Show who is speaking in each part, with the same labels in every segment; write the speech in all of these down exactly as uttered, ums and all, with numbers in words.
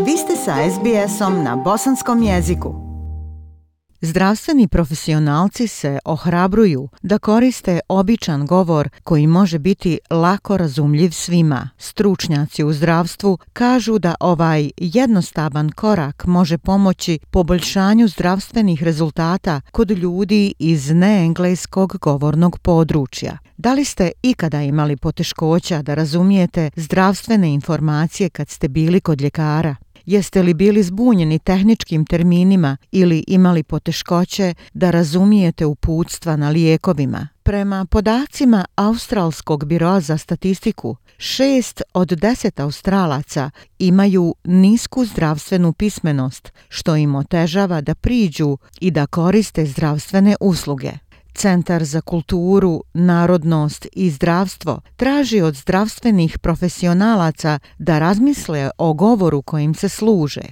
Speaker 1: Vi ste sa es bi esom na bosanskom jeziku. Zdravstveni profesionalci se ohrabruju da koriste običan govor koji može biti lako razumljiv svima. Stručnjaci u zdravstvu kažu da ovaj jednostavan korak može pomoći poboljšanju zdravstvenih rezultata kod ljudi iz neengleskog govornog područja. Da li ste ikada imali poteškoća da razumijete zdravstvene informacije kad ste bili kod ljekara? Jeste li bili zbunjeni tehničkim terminima ili imali poteškoće da razumijete uputstva na lijekovima? Prema podacima Australskog biroa za statistiku, šest od deset Australaca imaju nisku zdravstvenu pismenost, što im otežava da priđu i da koriste zdravstvene usluge. Centar za kulturu, narodnost i zdravstvo traži od zdravstvenih profesionalaca da razmisle o govoru kojim se služe.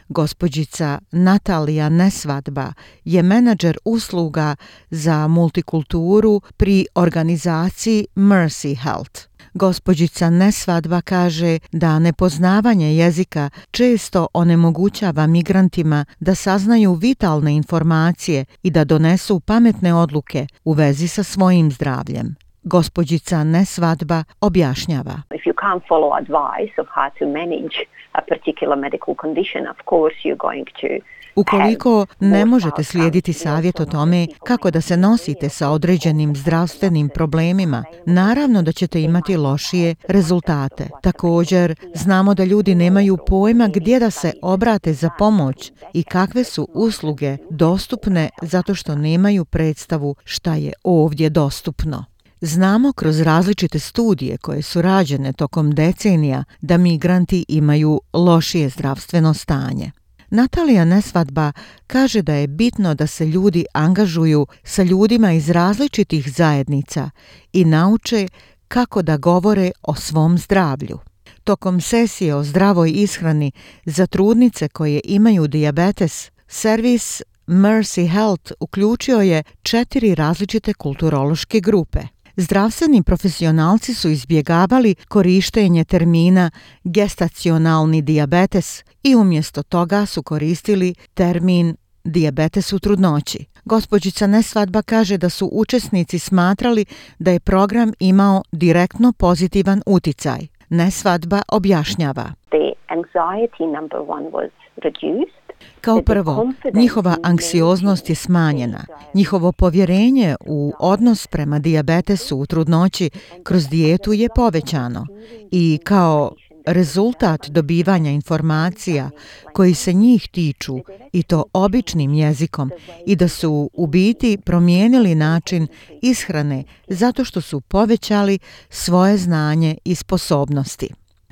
Speaker 1: Gospođica Natalija Nesvadba je menadžer usluga za multikulturu pri organizaciji Mercy Health. Gospođica Nesvadba kaže da nepoznavanje jezika često onemogućava migrantima da saznaju vitalne informacije i da donesu pametne odluke u vezi sa svojim zdravljem. Gospođica Nesvadba objašnjava.
Speaker 2: If you can't follow advice of how to manage a particular medical condition, of course you're going to
Speaker 1: Ukoliko ne možete slijediti savjet o tome kako da se nosite sa određenim zdravstvenim problemima, naravno da ćete imati lošije rezultate. Također, znamo da ljudi nemaju pojma gdje da se obrate za pomoć i kakve su usluge dostupne zato što nemaju predstavu šta je ovdje dostupno. Znamo kroz različite studije koje su rađene tokom decenija da migranti imaju lošije zdravstveno stanje. Natalija Nesvadba kaže da je bitno da se ljudi angažuju sa ljudima iz različitih zajednica i nauče kako da govore o svom zdravlju. Tokom sesije o zdravoj ishrani za trudnice koje imaju dijabetes, servis Mercy Health uključio je četiri različite kulturološke grupe. Zdravstveni profesionalci su izbjegavali korištenje termina gestacionalni dijabetes i umjesto toga su koristili termin dijabetes u trudnoći. Gospođica Nesvadba kaže da su učesnici smatrali da je program imao direktno pozitivan uticaj. Nesvadba objašnjava.
Speaker 2: The anxiety number one was reduced.
Speaker 1: Kao prvo, njihova anksioznost je smanjena. Njihovo povjerenje u odnos prema dijabetesu u trudnoći kroz dijetu je povećano i kao rezultat dobivanja informacija koji se njih tiču i to običnim jezikom i da su u biti promijenili način ishrane zato što su povećali svoje znanje i sposobnosti.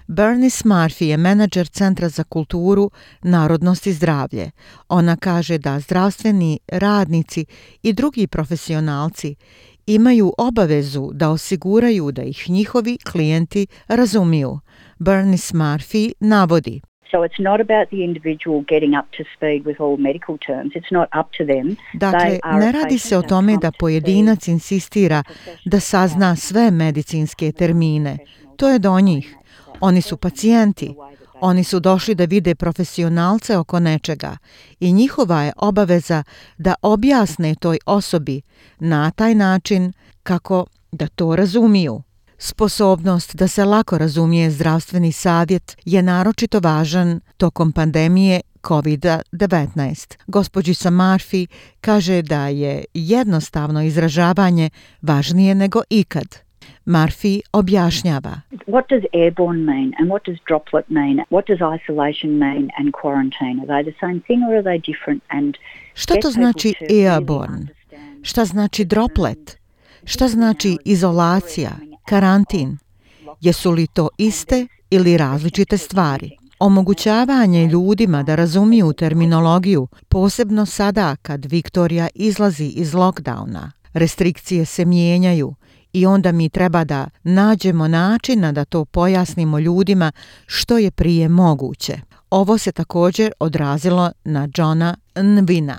Speaker 1: Bernice Murphy je menadžer Centra za kulturu, narodnost i zdravlje. Ona kaže da zdravstveni radnici i drugi profesionalci imaju obavezu da osiguraju da ih njihovi klijenti razumiju. Bernice Murphy navodi.
Speaker 3: So it's not about the individual getting up to speed with all medical terms. It's not up to them.
Speaker 1: Dakle, ne radi se o tome da pojedinac insistira da sazna sve medicinske termine. To je do njih. Oni su pacijenti. Oni su došli da vide profesionalce oko nečega i njihova je obaveza da objasne toj osobi na taj način kako da to razumiju. Sposobnost da se lako razumije zdravstveni savjet je naročito važan tokom pandemije kovid devetnaest. Gospođica Murphy kaže da je jednostavno izražavanje važnije nego ikad. Murphy objašnjava.
Speaker 3: What does airborne mean and what does droplet mean? What does isolation mean and quarantine? Are they the same thing or are they different? And
Speaker 1: šta to znači airborne? Šta znači droplet? Šta znači izolacija, karantin? Jesu li to iste ili različite stvari? Omogućavanje ljudima da razumiju terminologiju, posebno sada kad Viktorija izlazi iz lockdowna. Restrikcije se mijenjaju i onda mi treba da nađemo načina da to pojasnimo ljudima što je prije moguće. Ovo se također odrazilo na Johna Nwina.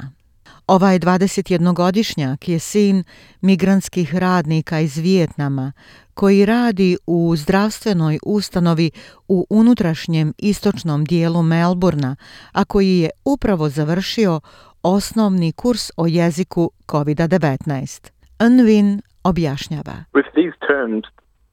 Speaker 1: Ovaj dvadesetjednogodišnjak je sin migrantskih radnika iz Vijetnama koji radi u zdravstvenoj ustanovi u unutrašnjem istočnom dijelu Melbourna, a koji je upravo završio osnovni kurs o jeziku kovid devetnaest. Nguyen objašnjava.
Speaker 4: With these terms,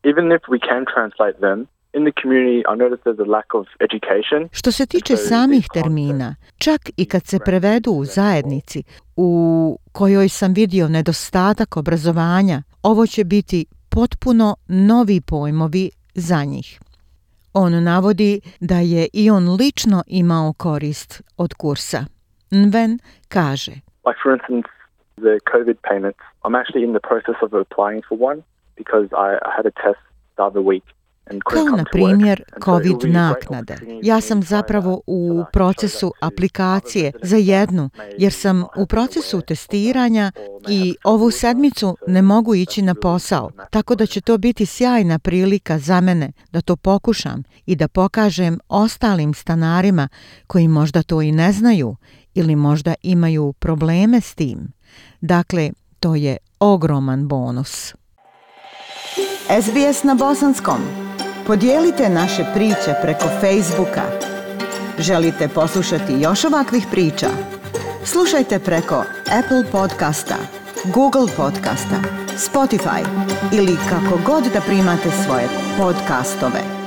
Speaker 4: even if we can translate them, in the community I noticed there's a lack of education.
Speaker 1: Što se tiče samih termina, čak i kad se prevedu u zajednici u kojoj sam vidio nedostatak obrazovanja, ovo će biti potpuno novi pojmovi za njih. On navodi da je i on lično imao korist od kursa. Nguyen kaže:
Speaker 4: Like for instance, the COVID payments, I'm actually in the process of applying for one because I, I had a test the other week.
Speaker 1: Kao na primjer COVID naknade. Ja sam zapravo u procesu aplikacije za jednu, jer sam u procesu testiranja i ovu sedmicu ne mogu ići na posao, tako da će to biti sjajna prilika za mene da to pokušam i da pokažem ostalim stanarima koji možda to i ne znaju ili možda imaju probleme s tim. Dakle, to je ogroman bonus.
Speaker 5: S B S na bosanskom. Podijelite naše priče preko Facebooka. Želite poslušati još ovakvih priča? Slušajte preko Apple podcasta, Google podcasta, Spotify ili kako god da primate svoje podcastove.